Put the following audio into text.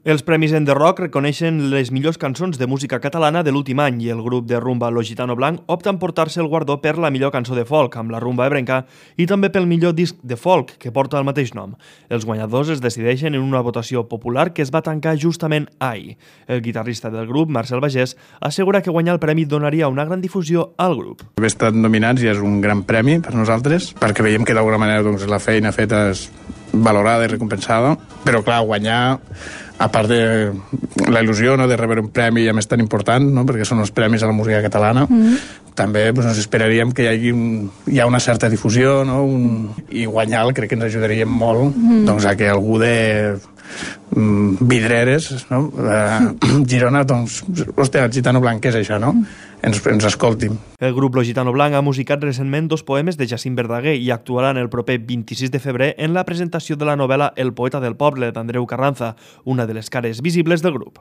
Els Premis Enderrock reconeixen les millors cançons de música catalana de l'últim any i el grup de rumba Lo Gitano Blanc opta en portar-se el guardó per la millor cançó de folk, amb la rumba ebrenca, i també pel millor disc de folk, que porta el mateix nom. Els guanyadors es decideixen en una votació popular que es va tancar justament ahir. El guitarrista del grup, Marcel Bagés, assegura que guanyar el premi donaria una gran difusió al grup. Haver estat nominats ja és un gran premi per nosaltres, perquè veiem que d'alguna manera la feina feta és valorada i recompensada, però clar, guanyar, a part de la il·lusió de rebre un premi a més tan important, perquè són els premis a la música catalana, també ens esperaríem que hi ha una certa difusió, i guanyar crec que ens ajudaria molt a que algú de Vidreres, Girona, hòstia, el Gitano Blanc, què és això, ens escoltin. El grup Lo Gitano Blanc ha musicat recentment 2 poemes de Jacint Verdaguer i actuaran el proper 26 de febrer en la presentació de la novel·la El poeta del poble, d'Andreu Carranza, una de les cares visibles del grup.